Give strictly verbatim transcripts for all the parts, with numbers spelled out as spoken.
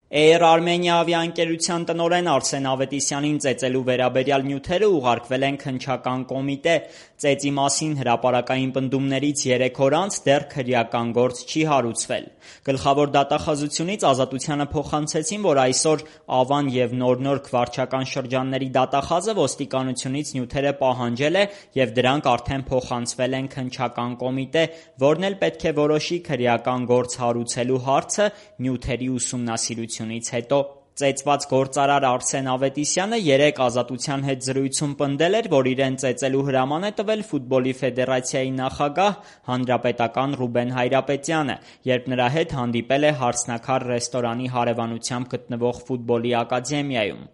Air Armenia ավիաընկերության տնօրեն Արսեն Ավետիսյանին ծեծելու վերաբերյալ նյութերը ուղարկվել են քննչական կոմիտե։ Ծեծի մասին հրապարակային պնդումներից երեք օր անց դեռ քրեական գործ չի հարուցվել։ Գլխավոր դատախազությունից Ազատությանը փոխանցեցին, որ այսօր Ավան և Նոր-Նորք վարչական շրջանների դատախազը ոստիկանությունից նյութերը պահանջել է և դրանք արդեն փոխանցվել են քննչական կոմիտե, որն էլ պետք է որոշի քրեական գործ հարուցելու հարցը նյութերի ուսումնասիրությունից հետո։ Ծեծված գործարար Արսեն Ավետիսյանը երեկ Ազատության հետ զրույցում պնդել էր, որ իրեն ծեծելու հրաման է տվել Ֆուտբոլի ֆեդերացիայի նախագահ հանրապետական Ռուբեն Հայրապետյանը, երբ նրա հետ հանդիպել է «Հարսնաքար» ռեստորանի հարևանությամբ գտնվող ֆուտբոլի ակադեմիայում։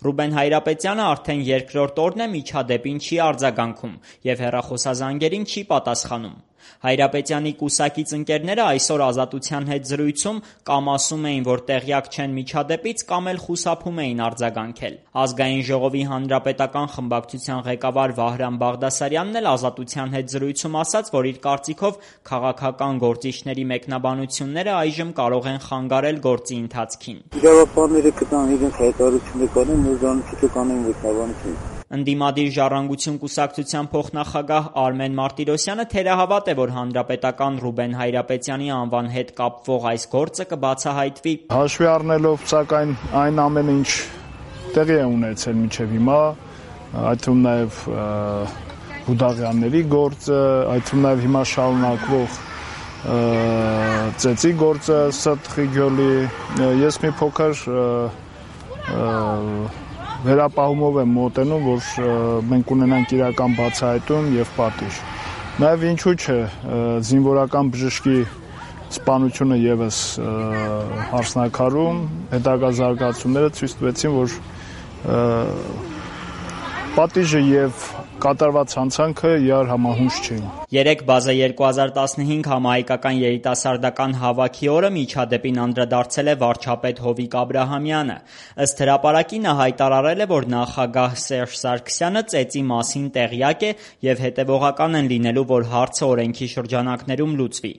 Ռուբեն Հայրապետյանը արդեն երկրորդ օրն է միջադեպին չի արձագանքում և հեռախոսազանգերին չի պատասխանում։ Հայրապետյանի կուսակից ընկերները այսօր Ազատության հետ զրույցում կամ ասում էին, որ տեղյակ չեն միջադեպից, կամ էլ խուսափում էին արձագանքել։ Ազգային ժողովի հանրապետական խմբակցության ղեկավար Վահրամ Բաղդասարյանն էլ Ազատության հետ զրույցում ասաց, որ իր կարծիքով քաղաքական գործիչների մեկնաբանությունները այժմ կարող են խանգարել գործի ընթացքին։ Իրավապահները կտան իրենց հայտարարությունները կանեն, ու դրանից հետո կանեն մեկնաբանություն։ Ընդդիմադիր «Ժառանգություն» կուսակցության փոխնախագահ Արմեն Մարտիրոսյանը թերահավատ է, որ հանրապետական Ռուբեն Հայրապետյանի անվան հետ կապվող այս գործը կբացահայտվի։ Հաշվի առնելով, սակայն, այն ամենը, ինչ տեղի է ունեցել մինչև հիմա, այդ թվում նաև Հուդաղյանների գործը, այդ թվում նաև հիմա շարունակվող ծեծի գործը Սըրտ Ղիգյոլի, ես մի փոքր վերապահումով եմ մոտենում, որ մենք ունենանք իրական բացահայտում և պատիժ։ Նաև ինչու՞ չէ, զինվորական բժշկի սպանությունը ևս Հարսնաքարում հետագա զարգացումները ցույց տվեցին, որ պատիժը և կատարված հանցանքը իրար համահունչ չէին։ Երեկ բազա երկու հազար տասնհինգ համահայկական երիտասարդական հավաքի օրը միջադեպին անդրադարձել է վարչապետ Հովիկ Աբրահամյանը։ Ըստ հրապարակի նա հայտարարել է, որ նախագահ Սերժ Սարգսյանը ծեծի մասին տեղյակ է և հետևողական են լինելու, որ հարցը օրենքի շրջանակներում լուծվի։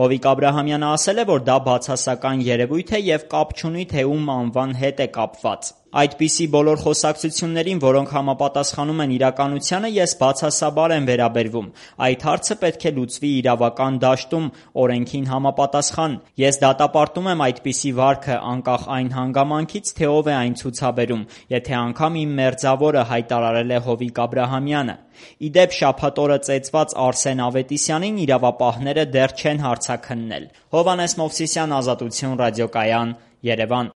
Հովիկ Աբրահամյանը ասել է, որ դա բացասական երևույթ է և կապ չունի, թե ում անվան հետ է կապված։ Այդպիսի բոլոր խոսակցություններին, որոնք համապատասխանում են իրականությանը, ես բացասաբար եմ վերաբերվում։ Այդ հարցը պետք է լուծվի իրավական դաշտում, օրենքին համապատասխան։ Ես դատապարտում եմ այդպիսի վարքը, անկախ այն հանգամանքից, թե ով է այն ցուցաբերում, եթե անգամ իմ մերձավորը, հայտարարել է Հովիկ Աբրահամյանը։ Ի դեպ, շաբաթ օրը ծեծված Արսեն Ավետիսյանին իրավապահները դեռ չեն հարցաքննել։ Հովհաննես Մովսիսյան, Ազատություն ռադիոկայան, Երևան։